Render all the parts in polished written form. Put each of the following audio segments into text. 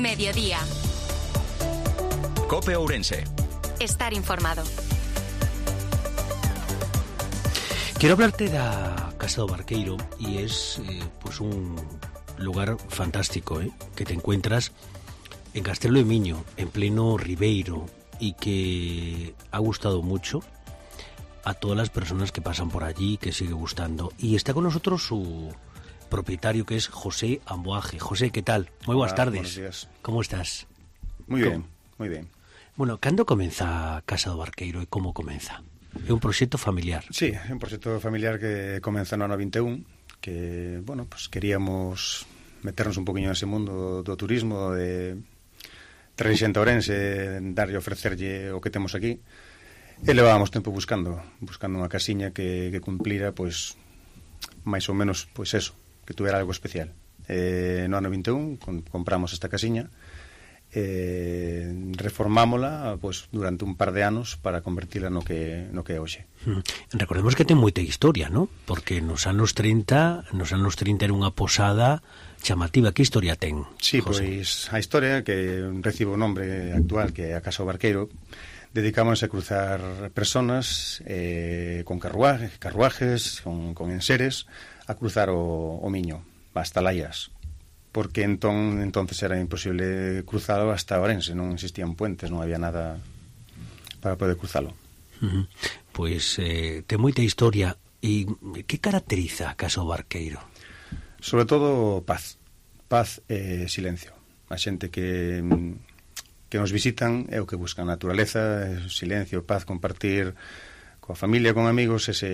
Mediodía. COPE Ourense. Estar informado. Quiero hablarte da Casa do Barqueiro y es pues un lugar fantástico, que te encuentras en Castelo de Miño, en pleno Ribeiro, y que ha gustado mucho a todas las personas que pasan por allí, que sigue gustando. Y está con nosotros su propietario, que es José Amboaje. José, ¿qué tal? Muy buenas tardes. Buenos días. ¿Cómo estás? Muy bien, muy bien. Bueno, cando comeza Casa do Barqueiro e como comeza? É un proxecto familiar. Sí, é un proxecto familiar que comeza no ano 21, que, bueno, pues queríamos meternos un poquinho nese mundo do turismo, de traer xente a Ourense, darlle, ofrecerlle o que temos aquí, e levábamos tempo buscando unha casiña que cumplira, pois, máis ou menos, pois eso, que tuvera algo especial. No ano 21 compramos esta casiña, reformámola pois durante un par de anos para convertila no que é hoxe. Recordemos que ten moita historia, ¿no? Porque nos anos 30 era unha posada chamativa. Que historia ten? Sí, José? Pois a historia que recibe o nombre actual, que é a Casa do Barqueiro, dedicamos a cruzar personas con carruajes, con enseres, a cruzar o Miño hasta Laias, porque entonces era imposible cruzalo hasta Ourense, non existían puentes, non había nada para poder cruzalo. Pois ten moita historia. E que caracteriza a Casa do Barqueiro? Sobre todo paz e silencio. A xente que nos visitan é o que buscan: naturaleza, silencio, paz, compartir coa familia, con amigos, eso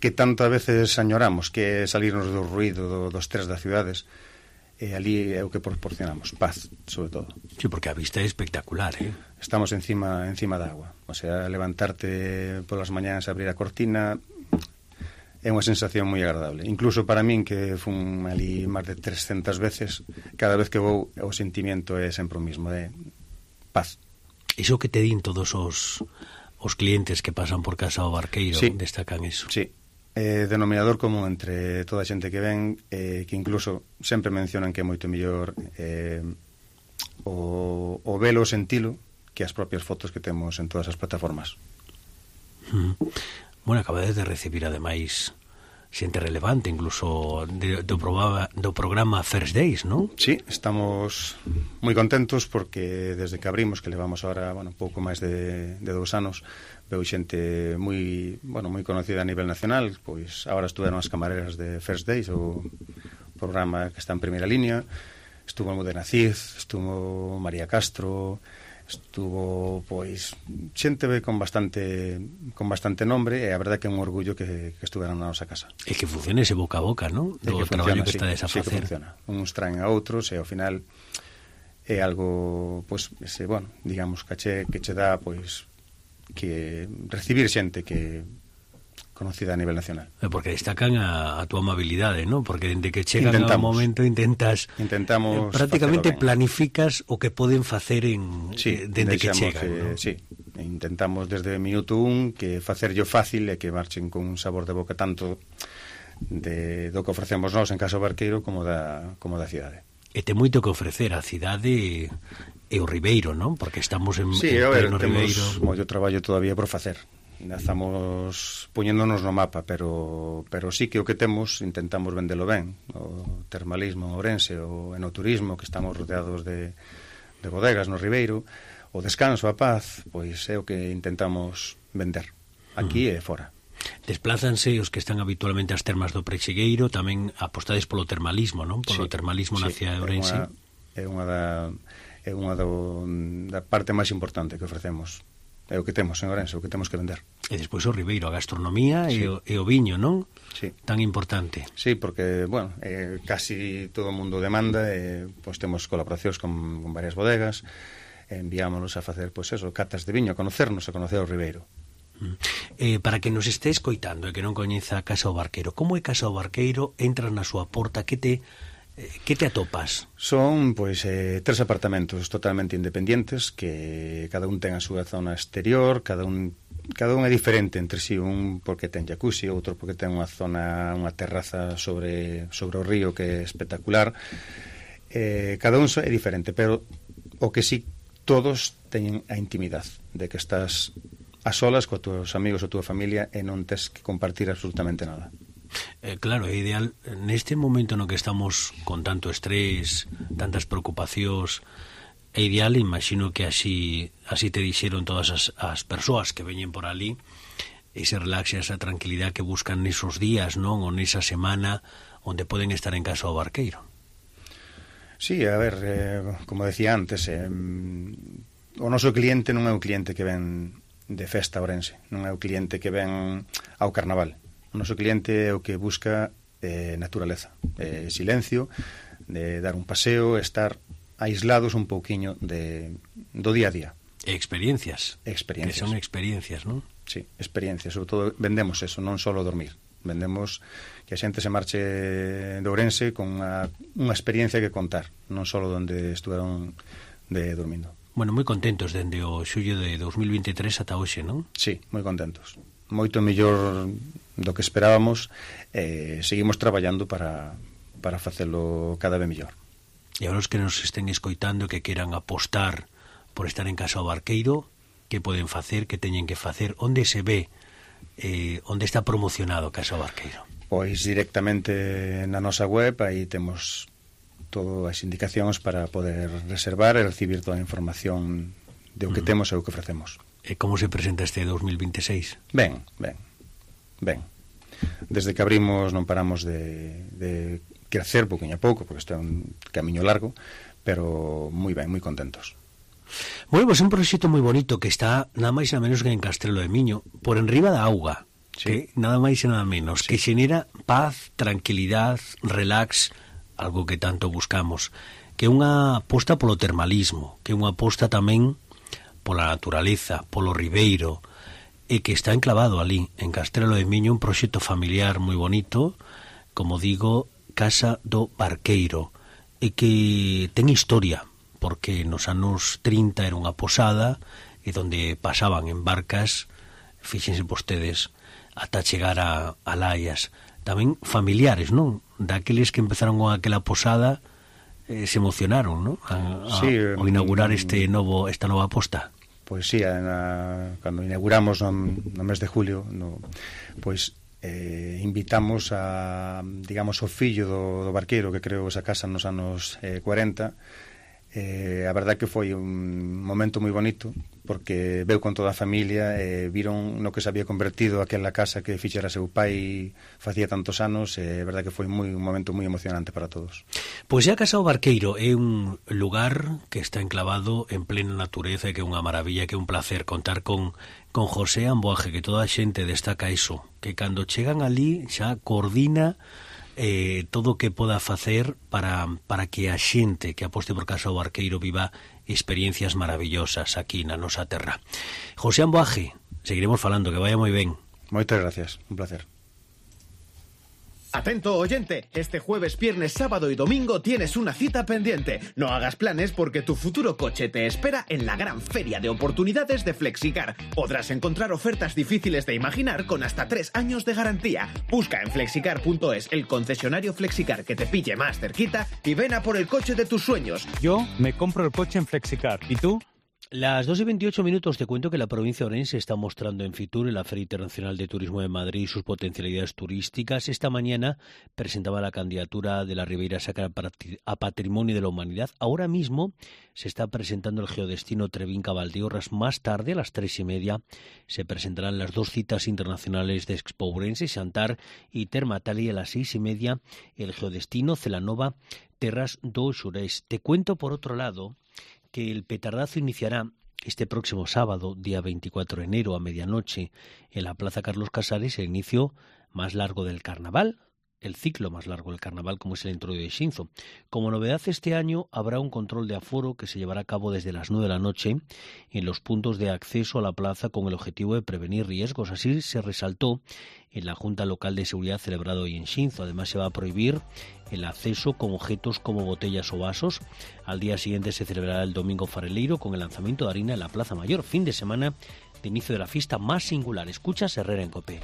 que tanto a veces añoramos, que é salirnos do ruído, do estrés das cidades. E ali é o que proporcionamos, paz, sobre todo. Sí, porque a vista é espectacular, Estamos encima da agua. O sea, levantarte polas mañanas, abrir a cortina, é unha sensación moi agradable. Incluso para min, que fun ali máis de 300 veces, cada vez que vou, o sentimiento é sempre o mismo, de paz. Iso que te din todos os clientes que pasan por Casa do Barqueiro, sí, destacan eso. Sí. Denominador común entre toda a xente que ven, que incluso sempre mencionan que é moito mellor o velo, o sentilo, que as propias fotos que temos en todas as plataformas. Bueno, acabades de recibir ademais xente relevante, incluso do programa First Days, ¿no? Sí, estamos moi contentos porque desde que abrimos, que levamos ahora, bueno, pouco máis de 2 anos, veu xente moi conocida a nivel nacional. Pois agora estuveron as camareras de First Days, o programa que está en primeira línea. Estuvo Almudena Cid, estuvo María Castro, estuvo, pois, xente con bastante nombre, e a verdade que é un orgullo que estuveran na nosa casa. E que funcione ese boca a boca, ¿no? Do traballo que estades a facer. Sí, que funciona. Uns traen a outros, e ao final é algo, pois, digamos, que che dá, pois, que recibir xente que conocida a nivel nacional. Porque destacan a túa amabilidade, ¿no? Porque dende que chegan ao momento intentamos prácticamente planificas o que poden facer dende que chegan, ¿no? Sí, intentamos desde o minuto 1 que facerllo fácil e que marchen con un sabor de boca tanto do que ofrecemos nós en Casa do Barqueiro como da cidade. E ten moito que ofrecer a cidade e o Ribeiro, non? Porque estamos en pleno Ribeiro. Temos moito traballo todavía por facer. Estamos poñéndonos no mapa, pero sí que o que temos intentamos vendelo ben. O termalismo en Ourense, o enoturismo, que estamos rodeados de bodegas no Ribeiro, o descanso, a paz, pois é o que intentamos vender aquí e fora. Desplázanse os que están habitualmente ás termas do Prexegueiro, tamén apostades polo termalismo, non? Polo termalismo na cidade de Ourense. É unha da parte máis importante que ofrecemos. É o que temos en Ourense, o que temos que vender. E despois o Ribeiro, a gastronomía, sí, e o viño, non? Sí. Tan importante. Sí, porque, casi todo o mundo demanda, pois temos colaboracións con varias bodegas, enviámonos a facer, pois eso, catas de viño, a conocernos, a conocer o Ribeiro. Para que nos este escoitando e que non coñeza a Casa do Barqueiro, como é Casa do Barqueiro? Entras na súa porta, que te atopas? Son, pois, 3 apartamentos totalmente independentes, que cada un ten a súa zona exterior, cada un cada un é diferente entre si, un porque ten jacuzzi, outro porque ten unha zona, unha terraza sobre o río que é espectacular. Cada un é diferente, pero o que sí, todos teñen a intimidade de que estás a solas coa túas amigos ou túa familia e non tes que compartir absolutamente nada. Claro, é ideal neste momento no que estamos con tanto estrés, tantas preocupacións. É ideal, imagino que así te dixeron todas as persoas que veñen por ali, ese relax e esa tranquilidade que buscan nesos días, non? Ou nesa semana onde poden estar en casa do barqueiro. Sí, a ver, como decía antes, o noso cliente non é un cliente que ven de festa a Ourense, non é o cliente que ven ao carnaval. O noso cliente é o que busca naturaleza, silencio, de dar un paseo, estar aislados un pouquiño do día a día. Experiencias. Que son experiencias, non? Sí, experiencias. Sobre todo vendemos eso, non só dormir. Vendemos que a xente se marche de Ourense con unha experiencia que contar, non só onde estuveron dormindo. Bueno, moi contentos dende o xullo de 2023 ata hoxe, non? Sí, moi contentos. Moito mellor do que esperábamos. Seguimos traballando para facelo cada vez mellor. E agora os que nos estén escoitando que queran apostar por estar en casa do barqueiro, que poden facer, que teñen que facer, onde se ve, onde está promocionado Casa do Barqueiro? Pois directamente na nosa web, aí temos todas as indicacións para poder reservar e recibir toda a información de o que temos e o que ofrecemos. E como se presenta este 2026? Ben. Desde que abrimos non paramos de crecer pouquinho a pouco, porque isto é un camiño largo, pero moi ben, moi contentos. Bueno, pois un proxecto moi bonito que está nada máis e nada menos que en Castrelo de Miño, por enriba da auga, sí. Que nada máis e nada menos, sí. Que xenera paz, tranquilidade, relax, algo que tanto buscamos, que é unha aposta polo termalismo, que é unha aposta tamén pola naturaleza, polo ribeiro, e que está enclavado ali, en Castrelo de Miño, un proxecto familiar moi bonito, como digo, Casa do Barqueiro, e que ten historia, porque nos anos 30 era unha posada e donde pasaban en barcas, fíxense vostedes, ata chegar a Laias. Tamén familiares, non? Daqueles que empezaron con aquela posada se emocionaron, non? Ao inaugurar esta nova posta. Pois sí, cando inauguramos no mes de julio, pois invitamos digamos, o fillo do barqueiro que creou esa casa nos anos 40. A verdad que foi un momento moi bonito porque veu con toda a familia e viron no que se había convertido aquela casa que fixera seu pai facía tantos anos e a verdad que foi un momento moi emocionante para todos. Pois a Casa do Barqueiro é un lugar que está enclavado en plena natureza e que é unha maravilla, que é un placer contar con José Amboaje, que toda a xente destaca iso, que cando chegan ali xa coordina todo o que poda facer para que a xente que aposte por Casa do Barqueiro viva experiencias maravillosas aquí na nosa terra. José Amboaje, seguiremos falando, que vaya moi ben. Moitas gracias, un placer. Atento oyente, este jueves, viernes, sábado y domingo tienes una cita pendiente. No hagas planes porque tu futuro coche te espera en la gran feria de oportunidades de Flexicar. Podrás encontrar ofertas difíciles de imaginar con hasta 3 años de garantía. Busca en flexicar.es el concesionario Flexicar que te pille más cerquita y ven a por el coche de tus sueños. Yo me compro el coche en Flexicar. ¿Y tú? Las 2:28 te cuento que la provincia de Ourense está mostrando en Fitur, en la Feria Internacional de Turismo de Madrid, sus potencialidades turísticas. Esta mañana presentaba la candidatura de la Ribeira Sacra a Patrimonio de la Humanidad. Ahora mismo se está presentando el geodestino Trevín-Cavaldeorras. Más tarde, a las 3:30, se presentarán las 2 citas internacionales de Expo Ourense, Xantar y Termatali. A las 6:30, el geodestino Celanova Terras do Xurés. Te cuento, por otro lado, que el petardazo iniciará este próximo sábado, día 24 de enero, a medianoche, en la Plaza Carlos Casares, el inicio más largo del carnaval, el ciclo más largo del carnaval, como es el Entroido de Xinzo. Como novedad este año habrá un control de aforo que se llevará a cabo desde las 9 de la noche en los puntos de acceso a la plaza con el objetivo de prevenir riesgos. Así se resaltó en la Junta Local de Seguridad celebrado hoy en Xinzo. Además, se va a prohibir el acceso con objetos como botellas o vasos. Al día siguiente se celebrará el Domingo Fareleiro con el lanzamiento de harina en la Plaza Mayor. Fin de semana de inicio de la fiesta más singular. Escuchas Herrera en COPE.